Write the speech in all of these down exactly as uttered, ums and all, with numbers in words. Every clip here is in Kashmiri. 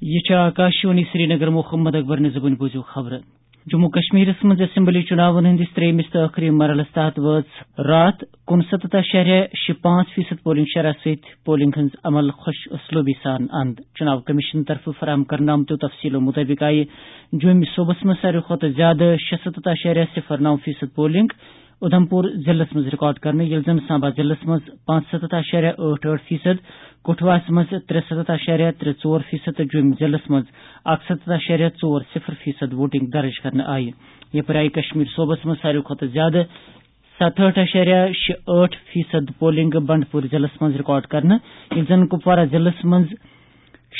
یہِ چھِ آکاشوانی سرینگر۔ محمد اکبر نِزبُن بوٗزِو خبرٕ۔ جموں کشمیرس منٛز اسمبلی چُناون ہٕنٛدِس ترٛیٚیمِس تہٕ ٲخری مرحلس تحت وٲژ راتھ کُنسَتتھ اعشاریہ شےٚ پانٛژھ فیصد پولنگ شرح سۭتۍ پولنگ ہٕنٛز عمل خۄش اسلوبی سان اند۔ چُناو کمیشن طرفہٕ فراہم کرنہٕ آمتیو تفصیلو مُطٲبِق آیہِ جوٚمۍ صوبس منٛز ساروی کھۄتہٕ زیادٕ شےٚ سَتتھ اعشاریہ صفر نَو فیصد پولنگ اُدھمپور ضلعس منٛز ریکارڈ کرنہٕ، ییٚلہِ زن سامبا ضلعس منٛز پانٛژھ سَتتھ اعشاریہ ٲٹھ ٲٹھ فیصد، کٹھوہس منٛز ترٛےٚ سَتتھ اعشاریہ ترٛےٚ ژور فیصد تہٕ جوٚمۍ ضلعس منٛز اَکہٕ سَتتھ اعشاریہ ژور صفر فیصد ووٹنگ درج کرنہٕ آیہِ۔ یپٲرۍ آیہِ کشمیر صوبس منٛز ساروی کھۄتہٕ زیادٕ ستہٕ ٲٹھ اعشاریہ شےٚ ٲٹھ فیصد پولنگ بنڈپور ضلعس منٛز ریکارڈ کرنہٕ، ییٚلہِ زن کپوارہ ضلعس منٛز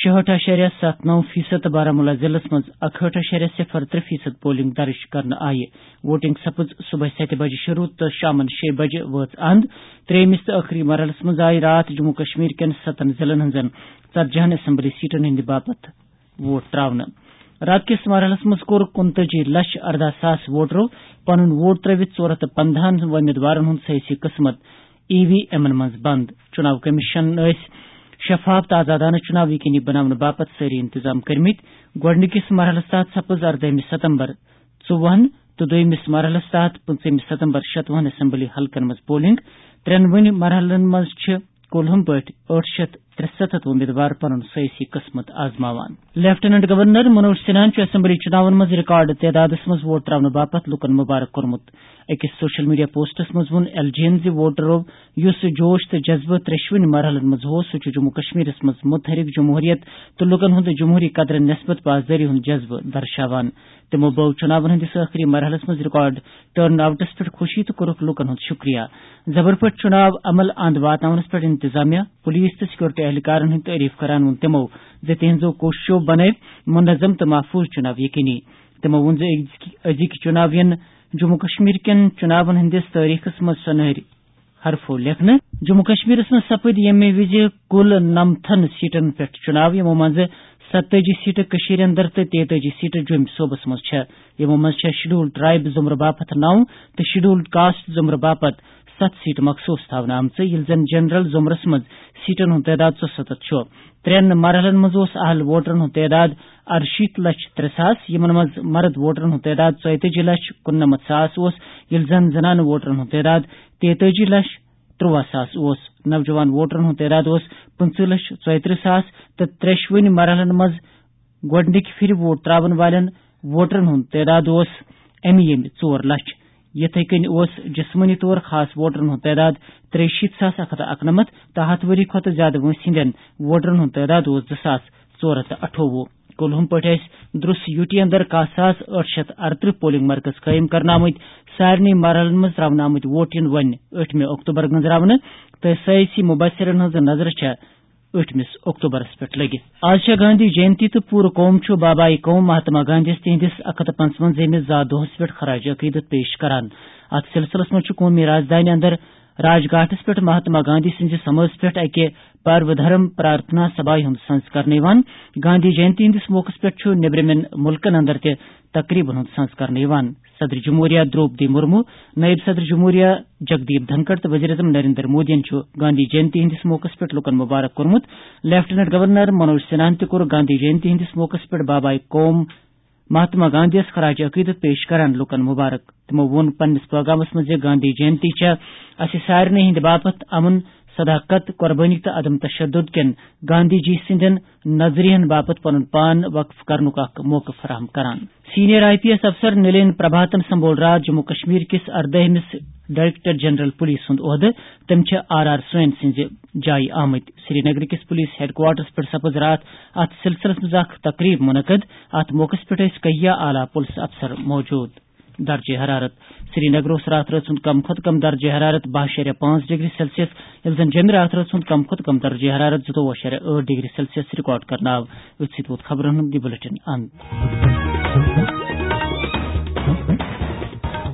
شُہٲٹھ اعشاریہ ستھ نَو فیصد تہٕ بارہمولہ ضلعس منٛز اَکہٲٹھ اعشاریہ صفر ترٛےٚ فیصد پولنگ درج کرنہٕ آیہِ۔ ووٹنگ سپٕز صبحٲے ستہِ بجہِ شروع تہٕ شامن شےٚ بجہِ وٲژ اند۔ ترٛیٚیمِس تہٕ ٲخری مرحلس منٛز آیہِ راتھ جموں کشمیر کٮ۪ن ستن ضلعن ہٕنٛزن ژتجی ہن اسمبلی سیٹن ہٕنٛدِ باپتھ ووٹ تراونہٕ۔ راتہٕ کِس مرحلس منٛز کوٚر کُنتٲجی لچھ ارداہ ساس ووٹرو پنُن ووٹ ترٲوِتھ ژور ہتھ تہٕ پندہن وۄمیدوارن ہُنٛد سیٲسی قسمت ای وی ایمن منٛز بند۔ چُناو کمیشن ٲسۍ شفاف تہٕ آزادانہٕ چُناو یقینی بناونہٕ باپتھ سٲری انتظام کٔرمٕتۍ۔ گۄڈٕنِکِس مرحلَس تحت سپٕز اردٲہمہِ ستمبر ژوٚوُہن تہٕ دوٚیمِس مرحلَس تحت پٕنٛژٕہمہِ ستمبر شتوُہن اسمبلی حلقن منٛز پولنگ۔ ترٛٮ۪نوٕنی مرحلن منٛز چھِ کُلہُم پٲٹھۍ ٲٹھ شیٚتھ ترٛسَتتھ وۄمیدوار پنُن سیٲسی قسمت آزماوان۔ لیفٹیننٹ گورنر منوج سنہاہن چھُ اسمبلی چُناون منٛز ریکارڈ تعدادس منٛز ووٹ تراونہٕ باپتھ لوٗکن مبارک کوٚرمُت۔ أکِس سوشل میڈیا پوسٹس منٛز ووٚن ایل جی یَن زِ ووٹرو یُس جوش تہٕ جذبہٕ ترٛیٚشوٕنی مرحلن منٛز اوس، سُہ چھُ جموں کشمیرس منٛز متحرک جمہوریت تہٕ لوٗکن ہُنٛد جمہوری قدرن نسبت پاسدٲری ہُنٛد جذبہٕ درشاوان۔ تِمو بٲو چُناون ہٕنٛدِس ٲخری مرحلس منٛز ریکارڈ ٹرن آؤٹس پٮ۪ٹھ خوشی تہٕ کوٚرُکھ لوٗکن ہُنٛد شُکریہ۔ زبر پٲٹھۍ چُناو عمل اند واتناونس پٮ۪ٹھ انتظامیہ، پُلیٖس تہٕ سیکورٹی اہلکارن ہٕنٛدۍ تعریف کران ووٚن تِمو زِ تِہنٛزو کوٗششو بنٲوۍ منظم تہٕ محفوظ چُناو یقینی۔ تِمو ووٚن زِ أزکۍ، أزِکۍ چُناو یِن جموں کشمیر کٮ۪ن چُناون ہٕنٛدِس تٲریخس منٛز سۄنہٕرۍ حرفو لیکھنہٕ۔ جموں کشمیرس منٛز سپٕدۍ ییٚمہِ وِزِ کُل نَمتھن سیٹن پٮ۪ٹھ چُناو، یِمو منٛزٕ ستٲجی سیٹہٕ کٔشیٖرِ اندر تہٕ تیتٲجی سیٹہٕ جوٚمۍ صوبس منٛز چھےٚ۔ یِمو منٛز چھےٚ شیڈول ٹرائب زمرٕ باپتھ نَو تہٕ شیڈول کاسٹ زمرٕ باپتھ ستھ سیٹہٕ مخصوص تھاونہٕ آمژٕ، ییٚلہِ زن جنرل زمرس منٛز سیٹن ہُنٛد تعداد ژُسَتتھ چھُ۔ ترٛٮ۪ن مرحلن منٛز اوس اہل ووٹرن ہُنٛد تعداد اَرشیٖتھ لچھ ترٛےٚ ساس، یِمن منٛز مرد ووٹرن ہُنٛد تعداد ژۄیتٲجی لچھ کُننَمَتھ ساس اوس، ییٚلہِ زن زنانہٕ ووٹرن ہُنٛد تعداد تیتٲجی لچھ تُرٛواہ ساس اوس۔ نوجوان ووٹرن ہُنٛد تعداد اوس پٕنٛژٕہ لچھ ژۄیترٕہ ساس تہٕ ترٛیٚشوٕنی مرحلن منٛز گۄڈٕنِکہِ پھِرِ ووٹ ترٛاوَن والٮ۪ن ووٹرن ہُنٛد تعداد اوس اَمہِ ییٚمہِ ژور لچھ۔ یِتھے کٔنۍ اوس جسمٲنی طور خاص ووٹرن ہُنٛد تعداد ترٛیٚیہِ شیٖتھ ساس اَکھ ہَتھ تہٕ اَکہٕ نَمَتھ تہٕ ہَتھ ؤری کھۄتہٕ زِیٛادٕ وٲنٛسہِ ہٕنٛدٮ۪ن ووٹرن ہُنٛد تعداد اوس زٕ ساس ژور ہَتھ تہٕ اَٹھووُہ۔ کُلہُم پٲٹھۍ ٲسۍ درُس یوٗ ٹی اندر کاہ ساس ٲٹھ شیٚتھ اَرترٕہ پولنگ مرکز قٲیِم کرنہٕ آمٕتۍ۔ سارنٕے مرحلن منٛز ترٛاونہٕ آمٕتۍ ووٹ یِن وۄنۍ ٲٹھمہِ اکتوبر گٔنٛزراونہٕ تہٕ سیٲسی مُبصرن ہٕنٛز نظر چھےٚ ٲٹھمِس اکتوبرس پٮ۪ٹھ لٔگِتھ۔ آز چھےٚ گاندھی جینتی تہٕ پوٗرٕ قوم چھُ بابائے قوم مہاتما گاندھیَس تِہنٛدِس اَکھ ہَتھ تہٕ پنٛژوَنزٲہمِس زا دۄہس پٮ۪ٹھ خراج عقیدت پیش کران۔ اتھ سلسلس منٛز چھُ قومی راجدھانی اندر راج گھاٹس پٮ۪ٹھ مہاتما گاندھی سٕنٛزِ سمٲژ پٮ۪ٹھ اکہِ پرو دھرم پرارتھنا سبھایہِ ہُنٛد سنز کرنہٕ یِوان۔ گاندھی جینتی ہٕنٛدِس موقعس پٮ۪ٹھ چھُ نیبرِمٮ۪ن مُلکن اندر تہِ تقریبن ہُنٛد سنز کرنہٕ یِوان۔ صدر جمہوریہ دروپدی مرمو، نائب صدر جمہوریہ جگدیپ دھنکڑ تہٕ وزیر اعظم نریندر مودیَن چھُ گاندھی جینتی ہٕنٛدِس موقعس پٮ۪ٹھ لوٗکن مبارک کوٚرمُت۔ لیفٹیننٹ گورنر منوج سنہاہن تہِ کوٚر گاندھی جینتی ہٕنٛدِس موقعس پٮ۪ٹھ بابائے قوم مہاتما گاندھیَس خراج عقیدت پیش کران لوٗکن مبارک۔ تِمو ووٚن پننِس پیغامس منٛز زِ گاندھی جینتی چھےٚ اسہِ سارنٕے ہٕنٛدِ باپتھ امن، صداقت، قربٲنی تہٕ عدم تشدد کٮ۪ن گاندھی جی سٕنٛدٮ۪ن نظریہن باپتھ پنُن پان وقف کرنُک اکھ موقعہٕ فراہم کران۔ سینئر آئی پی ایس افسر نلین پربھاتن سنبھول راتھ جموں کشمیر کِس اردٲہمِس ڈائریکٹر جنرل پولیس ہُنٛد عہدٕ۔ تٔمۍ چھِ آر آر سوین سٕنٛزِ جایہِ آمٕتۍ۔ سری نگر کِس پولیس ہیڈ کوارٹرس پٮ۪ٹھ سپٕز راتھ اتھ سلسلس منٛز اکھ تقریب منعقد۔ اتھ موقعس پٮ۪ٹھ ٲسۍ کہیا اعلیٰ پولیس افسر موجود۔ درجہ حرارت۔ سری نگر اوس راتھ رٲژ ہُنٛد کم کھۄتہٕ کم درجہ حرارت باہ اعشاریہ پانٛژھ ڈگری سیلسیس، ییٚلہِ زن جیٚمہِ راتھ رٲژ ہُنٛد کم کھۄتہٕ کم درجہ حرارت زٕتووُہ اعشاریہ ٲٹھ ڈگری سیلسیس ریکارڈ کرنہٕ آو۔ أتھۍ سۭتۍ ووت خبرن ہُنٛد یہِ بلیٹن اند۔